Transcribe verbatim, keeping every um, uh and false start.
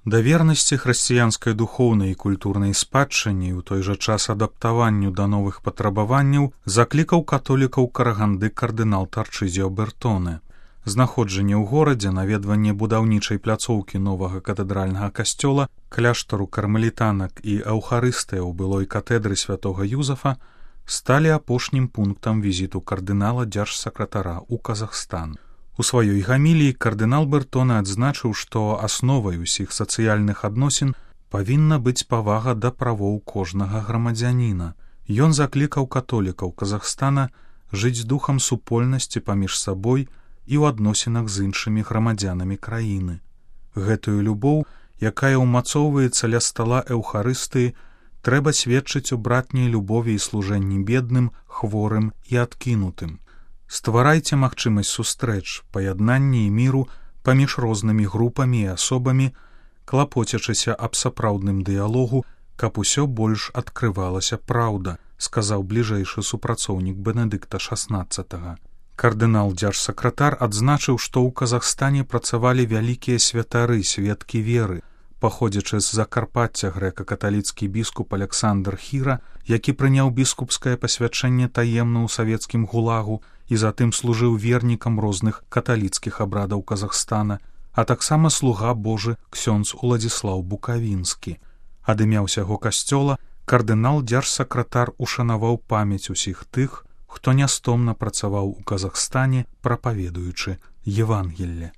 Да вернасці хрысціянскай духоўнай і культурнай спадчыне і ў той жа час адаптаванню да новых патрабаванняў заклікаў католікаў Караганды кардынал Тарчызіо Бертоне. Знаходжанне ў горадзе, наведванне будаўнічай пляцоўкі новага катэдральнага касцёла, кляштару кармелітанак і аўхарыстыя ў былой катэдры святога Юзафа сталі апошнім пунктам візіту кардынала дзяржсакратара ў Казахстан. У сваёй гаміліі кардынал Бертоне адзначыў, што асновай усіх сацыяльных адносін павінна быць павага да правоў кожнага грамадзяніна. Ён заклікаў католікаў Казахстана жыць духам супольнасці паміж сабой і ў адносінах з іншымі грамадзянамі краіны. Гэтую любоў, якая ўмацоўваецца ля стала эўхарыстыі, трэба сведчыць у братняй любові і служэнні бедным, хворым і адкінутым. Стварайце магчымасць сустрэч, паяднання і міру паміж рознымі групамі і асобамі, клапоцячыся аб сапраўдным дыялогу, каб усё больш адкрывалася праўда, сказаў бліжэйшы супрацоўнік Бенедыкта шаснаццатага. Кардынал-дзяржсакратар адзначыў, што ў Казахстане працавалі вялікія святары, сведкі веры, паходзячы з Закарпацця грэка-каталіцкі біскуп Аляксандр Хіра, які прыняў біскупскае пасвячэнне таемна ў савецкім гулагу і затым служыў вернікам розных каталіцкіх абрадаў Казахстана, а таксама слуга Божы ксёндз Уладзіслаў Букавінскі. Ад імя ўсяго касцёла кардынал-дзяржсакратар ушанаваў памяць усіх тых, хто нястомна працаваў у Казахстане, прапаведуючы Евангелле.